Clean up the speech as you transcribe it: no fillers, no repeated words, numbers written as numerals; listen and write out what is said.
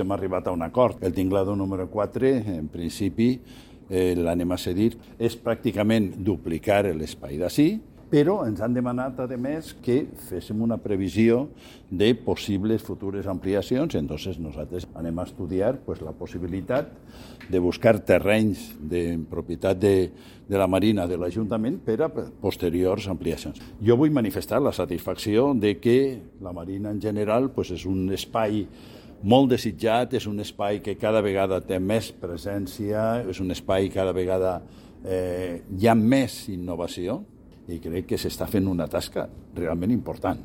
Hem arribat a un acord. El tinglado número 4, en principi, l'anem a cedir. És pràcticament duplicar l'espai d'ací, però ens han demanat, a més, que féssim una previsió de possibles futures ampliacions. Entonces, nosaltres anem a estudiar la possibilitat de buscar terrenys de propietat de la Marina de l'Ajuntament per a posteriors ampliacions. Jo vull manifestar la satisfacció de que la Marina en general és un espai molt desitjat, és un espai que cada vegada té més presència, és un espai que cada vegada hi ha més innovació, i crec que s'està fent una tasca realment important.